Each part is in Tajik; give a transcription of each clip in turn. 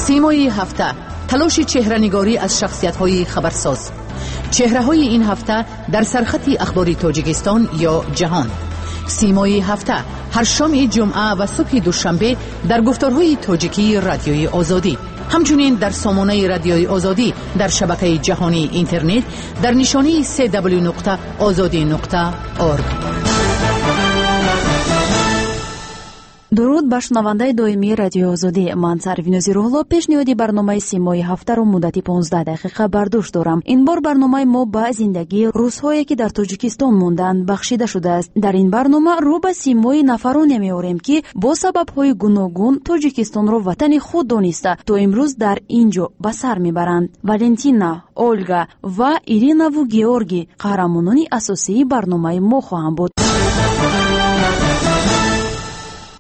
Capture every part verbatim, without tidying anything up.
Симои ҳафта, талоши чеҳранигорӣ аз шахсиятҳои хабарсоз. Чеҳраҳои ин ҳафта дар сархати ахбори Тоҷикистон ё ҷаҳон. Симои ҳафта ҳар шоми ҷумъа ва субҳи душанбе дар гуфторҳои тоҷикии Радиои Озодӣ, ҳамчунин дар сомонаи Радиои Озодӣ дар шабакаи ҷаҳонии интернет дар нишонии се дабл-ю нуқта озодӣ нуқта орг. Дуруд ба шунавандаи доимии Радиои Озодӣ. Ман Сарвинози Рӯҳло пешниҳоди барномаи Симои ҳафтаро муддати понздаҳ дақиқа бар дӯш дорам. Ин бор барномаи мо ба зиндагии рӯзҳое, ки дар Тоҷикистон монданд, бахшида шудааст. Дар ин барнома рӯ ба симои нафароне меорем, ки бо сабабҳои гуногун Тоҷикистонро ватани худ дониста то имрӯз дар ин ҷо ба сар мебаранд. Валентина, Ольга ва Иринаву Георгий қаҳрамонони асосии барномаи мо хоҳанд буд.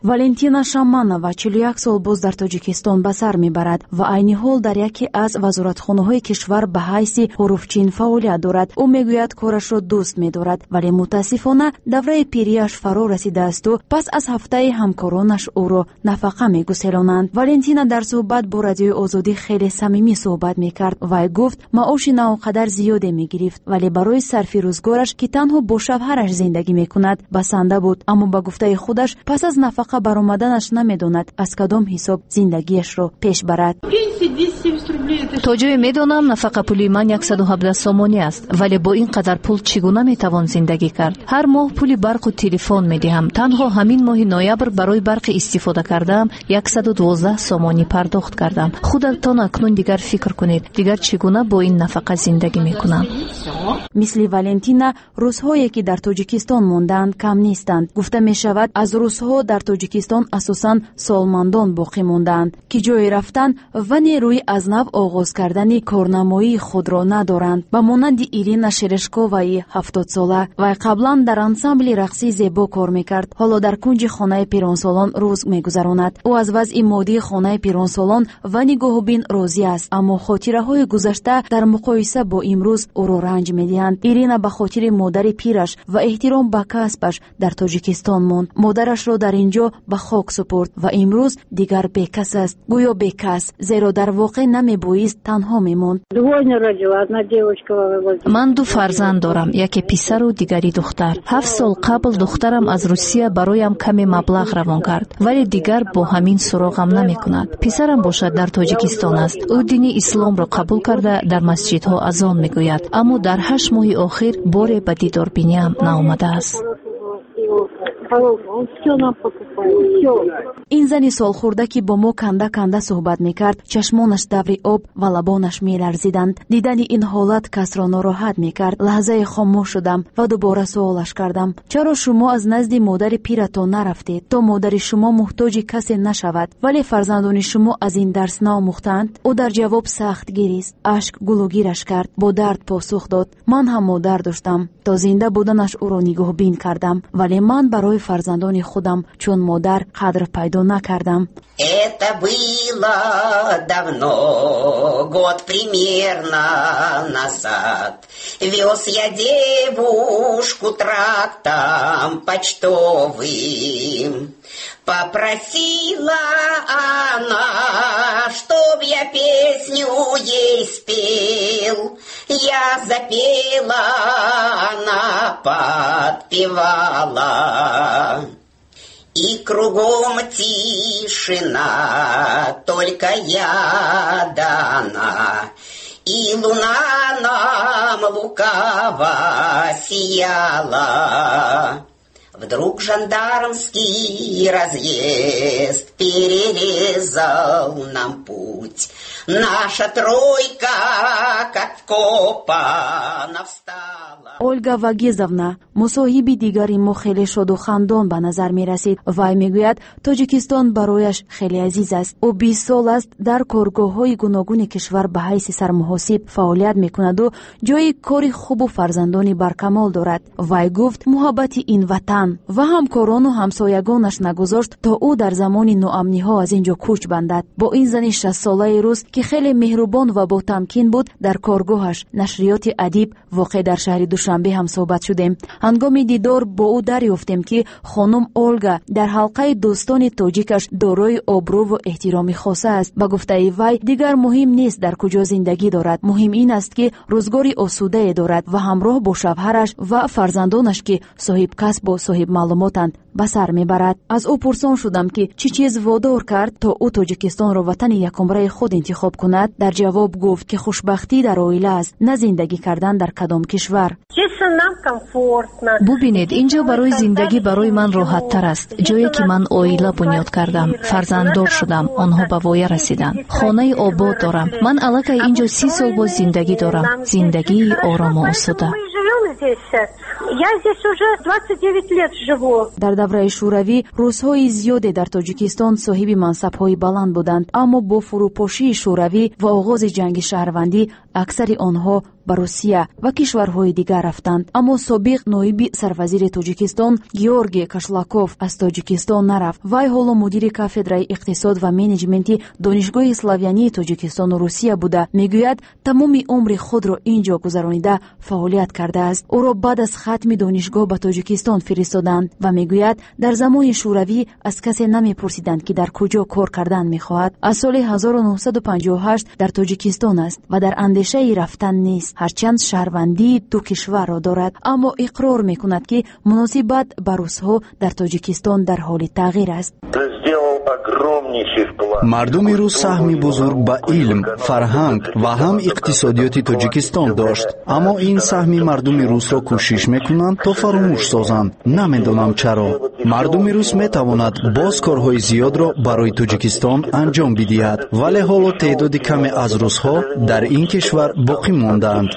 Валентина Шаманова чилу як сол боз дар Тоҷикистон ба сар мебарад ва айни ҳол дар яке аз вазоратхонаҳои кишвар ба ҳайси ҳуруфчин фаъолият дорад. Ӯ мегӯяд, корашро дӯст медорад, вале мутаассифона давраи пирияш фаро расидаасту пас аз ҳафтаи ҳамкоронаш ӯро нафақа мегуселонанд. Валентина дар суҳбат бо Радиои Озодӣ хеле самимӣ суҳбат мекард. Вай гуфт, маоши на он қадар зиёде мегирифт, вале барои сарфи рӯзгораш, ки танҳо бо шавҳараш зиндагӣ мекунад, басанда буд. Аммо ба гуфтаи худаш, пас аз нафақа баромаданаш намедонад аз кадом ҳисоб зиндагиашро пеш барад. То ҷое медонам, нафақапулии ман яксаду ҳабдаҳ сомонӣ аст, вале бо ин қадар пул чӣ гуна метавон зиндагӣ кард? Ҳар моҳ пули барқу телефон медиҳам. Танҳо ҳамин моҳи ноябр барои барқи истифода кардаам яксаду дувоздаҳ сомонӣ пардохт кардам. Худатон акнун дигар фикр кунед, дигар чӣ гуна бо ин нафақа зиндагӣ мекунам? Мисли Валентина, рӯзҳое ки дар Тоҷикистон мондаанд, кам нестанд. Гуфта мешавад, аз рӯзҳо дар Тоҷикистон асосан солмандон боқӣ мондаанд, ки ҷое рафтан ва нерӯи аз нав оғоз кардани корнамоии худро надоранд. Ба монанди Ирина Шерешковаи ҳафтодсола. Вай қаблан дар ансамбли рақсии зебо кор мекард. Ҳоло дар кунҷи хонаи пиронсолон рӯз мегузаронад. Ӯ аз вазъи моддии хонаи пиронсолон ва нигоҳубин розӣ аст, аммо хотираҳои гузашта дар муқоиса бо имрӯз ӯро ранҷ медиҳанд. Ирина ба хотири модари пираш ва эҳтиром ба касбаш дар Тоҷикистон монд. Модарашро дар ин ҷо ба хок супурд ва имрӯз дигар бекас аст. Гӯё бекас, зеро дар воқеъ намебоист танҳо мемонд. Ман ду фарзанд дорам, яке писару дигари духтар. Ҳафт сол қабл духтарам аз Русия бароям каме маблағ равон кард, вале дигар бо ҳамин суроғам намекунад. Писарам бошад дар Тоҷикистон аст. Ӯ дини исломро қабул карда дар масҷидҳо азон мегӯяд, аммо дар ҳашт моҳи охир боре ба дидорбиниам наомадааст. Ин зани солхӯрда, ки бо мо канда-канда суҳбат мекард, чашмонаш даври об ва лабонаш меларзиданд. Дидани ин ҳолат касро нороҳат мекард. Лаҳзае хомӯш шудам ва дубора суолаш кардам: чаро шумо аз назди модари пиратон нарафтед, то модари шумо муҳтоҷи касе нашавад, вале фарзандони шумо аз ин дарс наомӯхтанд? Ӯ дар ҷавоб сахт гирист, ашк гулугираш кард, бо дард посух дод: ман ҳам модар доштам, то зинда буданаш ӯро нигоҳбин кардам, вале ман барои фарзандони худам чун модар қадр пайдо накардам. Это было давно, год примерно назад. Вез я девушку трактом почтовым. Попросила она, чтоб я песню ей спел. Я запела, она подпевала. И кругом тишина, только я да она. И луна нам лукаво сияла. Вдруг жандармский разъезд перерезал нам путь. Наша тройка, как вкопана, встала. Ольга Вагизовна, мусоҳиби дигари мо, хеле шоду хандон ба назар мерасид. Вай мегӯяд, Тоҷикистон барояш хеле азиз аст. Ӯ бист сол аст дар коргоҳҳои гуногуни кишвар ба ҳайси сармуҳосиб фаъолият мекунаду ҷои кори хубу фарзандони баркамол дорад. Вай гуфт, муҳаббати ин ватан ватан ва ҳамкорону ҳамсоягонаш нагузошт, то ӯ дар замони ноамниҳо аз ин ҷо кӯч бандад. Бо ин зани шастсолаи рус, ки хеле меҳрубон ва ботамкин буд, дар коргоҳаш нашриёти Адиб воқеъ дар шаҳри Душанбе ҳам суҳбат шудем. Ҳангоми дидор бо ӯ дарёфтем, ки хонум Олга дар ҳалқаи дӯстони тоҷикаш дорои обрӯву эҳтироми хоса аст. Ба гуфтаи вай, дигар муҳим нест дар куҷо зиндагӣ дорад, муҳим ин аст, ки рӯзгори осудае дорад ва ҳамроҳ бо шавҳараш ва фарзандонаш, ки соҳибкасбу соҳибмаълумотанд, ба сар мебарад. Аз ӯ пурсон шудам, ки чӣ чиз водор кард, то ӯ Тоҷикистонро ватани якумраи худ интихоб кунад. Дар ҷавоб гуфт, ки хушбахтӣ дар оила аст, на зиндагӣ кардан дар кадом кишвар. Бубинед, ин ҷо барои зиндагӣ барои ман роҳаттар аст. Ҷое ки ман оила бунёд кардам, фарзанддор шудам, онҳо ба воя расиданд, хонаи обод дорам. Ман аллакай ин ҷо си сол боз зиндагӣ дорам, зиндагии орому осуда. Дар давраи Шӯравӣ русҳои зиёде дар Тоҷикистон соҳиби мансабҳои баланд буданд, аммо бо фурӯпошии Шӯравӣ ва оғози ҷанги шаҳрвандӣ аксари онҳо ба Русия ва кишварҳои дигар рафтанд. Аммо собиқ ноиби сарвазири Тоҷикистон Георгий Кашлаков аз Тоҷикистон нарафт. Вай ҳоло мудири кафедраи иқтисод ва менеҷменти Донишгоҳи славянии Тоҷикистону Русия буда, мегӯяд, тамоми умри худро ин ҷо гузаронида фаъолият кардааст. Ӯро баъд аз хатми донишгоҳ ба Тоҷикистон фиристоданд ва мегӯяд, дар замони Шӯравӣ аз касе намепурсиданд, ки дар куҷо кор кардан мехоҳад. Аз соли ҳазору нӯҳсаду панҷоҳу ҳашт дар Тоҷикистон аст ва дар андешаи рафтан нест, ҳарчанд шаҳрвандии ду кишварро дорад, аммо иқрор мекунад, ки муносибат ба русҳо дар Тоҷикистон дар ҳоли тағйир аст. Мардуми рус саҳми бузург ба илм, фарҳанг ва ҳам иқтисодиёти Тоҷикистон дошт, аммо ин саҳми мардуми русро кӯшиш мекунанд, то фаромӯш созанд. Намедонам чаро. Мардуми рус метавонад боз корҳои зиёдро барои Тоҷикистон анҷом бидиҳад, вале ҳоло теъдоди каме аз русҳо дар ин кишвар боқӣ мондаанд.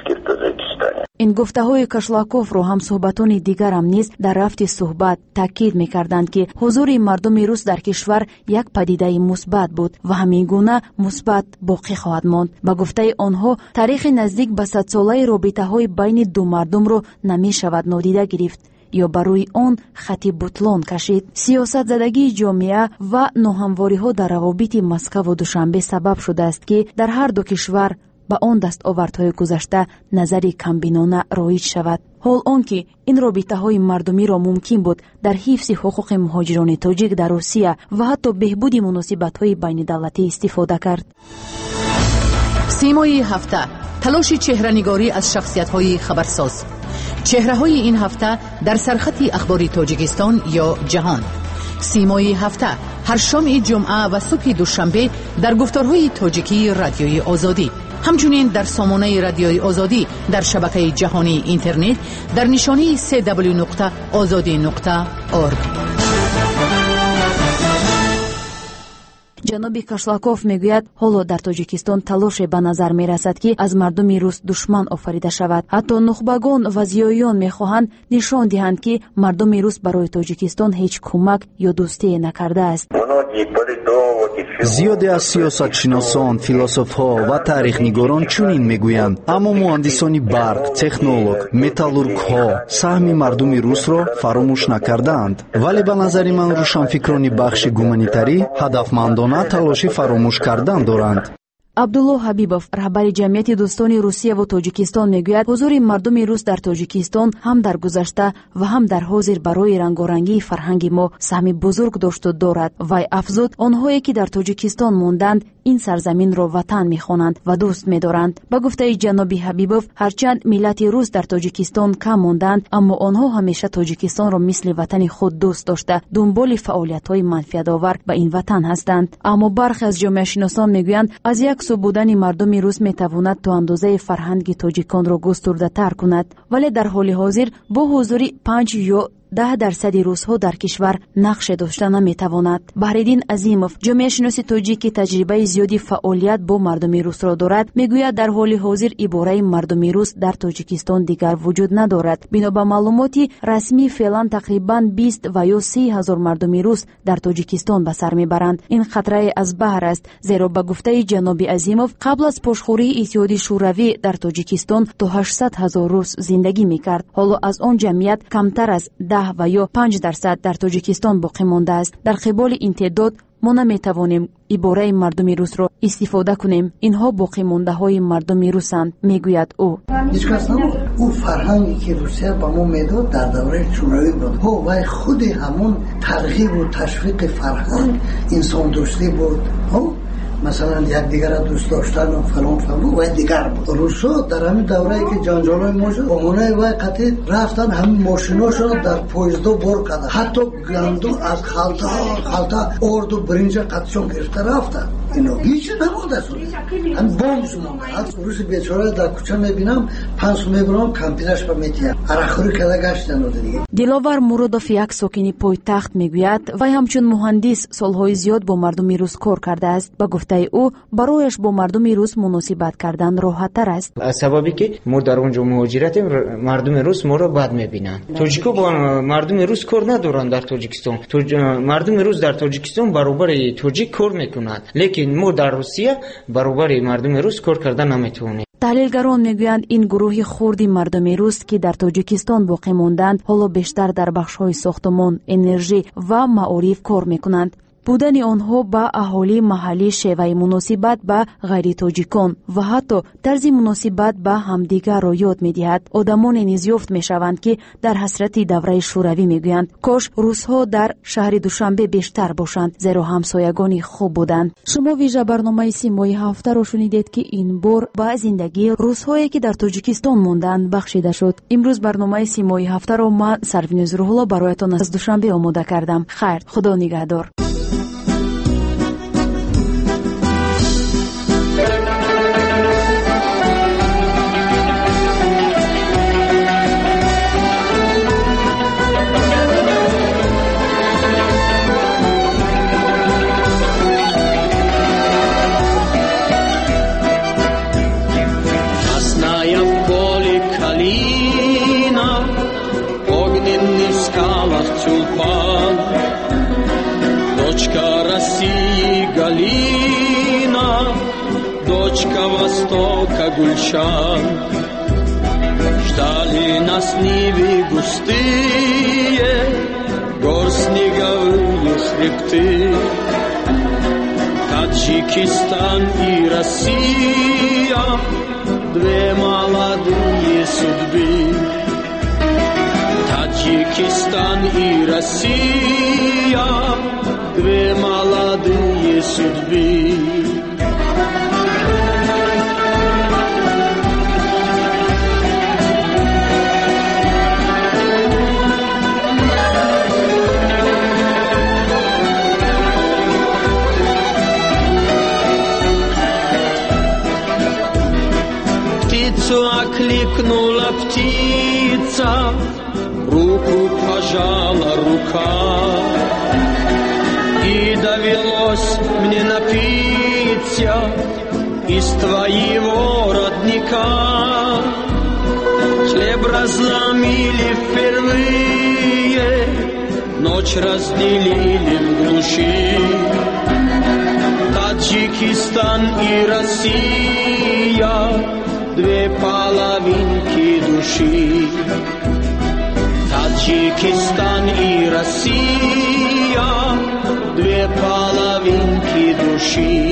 Ин гуфтаҳои Кашлаковро ҳамсӯҳбатони дигарам низ дар рафти суҳбат таъкид мекарданд, ки ҳузури мардуми рус дар кишвар як падидаи мусбат буд ва ҳамин гуна мусбат боқӣ хоҳад монд. Ба гуфтаи онҳо, таърихи наздик ба садсолаи робитаҳои байни ду мардумро намешавад нодида гирифт ё ба рӯи он хати бутлон кашид. Сиёсатзадагии ҷомеа ва ноҳамвориҳо дар равобити Москаву Душанбе сабаб шудааст, ки дар ҳар ду кишвар ба он дастовардҳои гузашта назари камбинона роиҷ шавад. Ҳол он ки ин робитаҳои мардумиро мумкин буд дар ҳифзи ҳуқуқи муҳоҷирони тоҷик дар Русия ва ҳатто беҳбуди муносибатҳои байнидавлатӣ истифода кард. Симои ҳафта, талоши чеҳранигорӣ аз шахсиятҳои хабарсоз. Чеҳраҳои ин ҳафта дар сархати ахбори Тоҷикистон ё ҷаҳон. Симои ҳафта ҳар шоми ҷумъа ва субҳи душанбе дар гуфторҳои тоҷикии Радиои Озодӣ, ҳамчунин дар сомонаи Радиои Озодӣ дар шабакаи ҷаҳонии интернет дар нишонии се дабл-ю нуқта озодӣ нуқта орг. Ҷаноби Кашлаков мегӯяд, ҳоло дар Тоҷикистон талоше ба назар мерасад, ки аз мардуми рус душман офарида шавад. Ҳатто нухбагон ва зиёиён мехоҳанд нишон диҳанд, ки мардуми рус барои Тоҷикистон ҳеҷ кӯмак ё дӯстие накардааст. Зиёде аз сиёсатшиносон, философҳо ва таърихнигорон чунин мегӯянд, аммо муҳандисони барқ, технолог, металлургҳо саҳми мардуми русро фаромӯш накардаанд. Вале ба назари ман рӯшанфикрони бахши гуманитарӣ ҳадафмандона талоши фаромӯш кардан доранд. Абдулло Ҳабибов, раҳбари ҷамъияти дӯстони Русияву Тоҷикистон, мегӯяд, ҳузури мардуми рус дар Тоҷикистон ҳам дар гузашта ва ҳам дар ҳозир барои рангорангии фарҳанги мо саҳми бузург дошту дорад. Вай афзуд, онҳое ки дар Тоҷикистон монданд, ин сарзаминро ватан мехонанд ва дӯст медоранд. Ба гуфтаи ҷаноби Ҳабибов, ҳарчанд миллати рус дар Тоҷикистон кам монданд, аммо онҳо ҳамеша Тоҷикистонро мисли ватани худ дӯст дошта, дунболи фаъолиятҳои манфиатовар ба ин ватан ҳастанд. Аммо бархе аз ҷомеашиносон мегӯянд, аз як сӯ будани мардуми рус метавонад то андозаи фарҳанги тоҷиконро густурдатар кунад, вале дар ҳоли ҳозир бо ҳузури панҷ ё даҳ дарсади русҳо дар кишвар нақше дошта наметавонад. Баҳриддин Азимов, ҷомеашиноси тоҷик, ки таҷрибаи зиёди фаъолият бо мардуми русро дорад, мегӯяд, дар ҳоли ҳозир ибораи мардуми рус дар Тоҷикистон дигар вуҷуд надорад. Бино ба маълумоти расмӣ, феълан тақрибан бист ва ё си ҳазор мардуми рус дар Тоҷикистон ба сар мебаранд. Ин қатрае аз баҳр аст, зеро ба гуфтаи ҷаноби Азимов, қабл аз пошхӯрии Иттиҳоди Шӯравӣ дар Тоҷикистон то ҳаштсад ҳазор рус зиндагӣ мекард. Ҳоло аз он ҷамъият камтар аз даҳ даҳ ва ё панҷ дарсад дар Тоҷикистон боқӣ мондааст. Дар қиболи ин теъдод мо наметавонем ибораи мардуми русро истифода кунем. Инҳо боқимондаҳои мардуми русанд, мегӯяд ӯ. Ҳеҷ кас набуд. Ӯ фарҳанге ки Русия ба мо медод дар давраи шӯравӣ буд. Ҳо, вай худи ҳамон тарғибу ташвиқи фарҳанг инсондӯстӣ буд. Ҳо, масалан якдигарро дӯст доштану фалон фалон вай дигар буд. Русо дар ҳамин даврае ки ҷанҷолҳои мо шуд, омонаи вай қатъи рафтан ҳамин мошиношонро дар поездо бор карданд. Ҳатто гандум аз халта халта орду биринҷа қатъшон гирифта рафтанд. Ино ҳеҷ намондааст. Ҳамин бомб монда. Руси бечора дар кӯча мебинам, панҷ сум мебарам, кампирашба метиҳам. Арақхӯрӣ карда гаштан ода дига. Диловар Муродов, як сокини пойтахт, мегӯяд, вай ҳамчун муҳандис солҳои зиёд бо мардуми рус кор кардааст. Ба гуфтаи ӯ, барояш бо мардуми рус муносибат кардан роҳаттар аст. Аз сабабе ки мо дар он ҷо муҳоҷиратем, мардуми рус моро бад мебинанд. Тоҷико бо мардуми рус кор надоранд дар Тоҷикистон. Мардуми рус дар Тоҷикистон баробари тоҷик кор мекунад, лекин мо дар Русия баробари мардуми рус кор карда наметавонем. Таҳлилгарон мегӯянд, ин гурӯҳи хурди мардуми рус, ки дар Тоҷикистон боқӣ монданд, ҳоло бештар дар бахшҳои сохтумон, энержӣ ва маориф кор мекунанд. Будани онҳо ба аҳолии маҳаллӣ, шеваи муносибат ба ғайритоҷикон ва ҳатто тарзи муносибат ба ҳамдигарро ёд медиҳад. Одамоне низ ёфт мешаванд, ки дар ҳасрати давраи шӯравӣ мегӯянд, кош русҳо дар шаҳри Душанбе бештар бошанд, зеро ҳамсоягони хуб буданд. Шумо вижа барномаи Симои ҳафтаро шунидед, ки ин бор ба зиндагии русҳое, ки дар Тоҷикистон монданд, бахшида шуд. Имрӯз барномаи Симои ҳафтаро ман, Сарвиноз Рӯҳулло, бароятон аз Душанбе омода кардам. Хайр, Худо нигаҳдор. Дочка России Галина, дочка Востока Гульшан. Ждали нас нивы густые, гор снеговые хребты. Таджикистан и Россия, две молодые судьбы. Таджикистан и Россия, две молодые судьбы. Птицу окликнула птица, руку пожала рука. И довелось мне напиться из твоего родника. Хлеб разломили впервые, ночь разделили в глуши. Таджикистан и Россия, две половинки души. Таджикистан и Россия, две половинки души.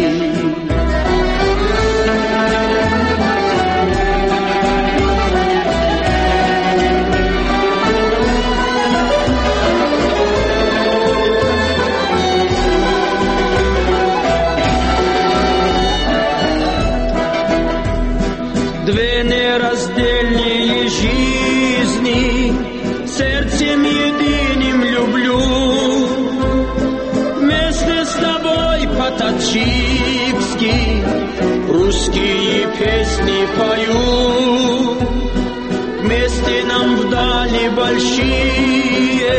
Две нераздельные жизни, сердцем единым люблю. Вместе с тобой по-таджикски русские песни пою. Вместе нам вдали большие,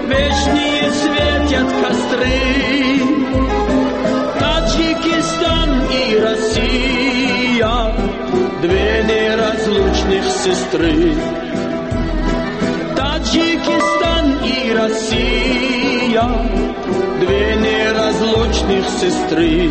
вечные светят костры. Таджикистан и Россия, две неразлучных сестры. Таджикистан и Россия, две неразлучных сестры.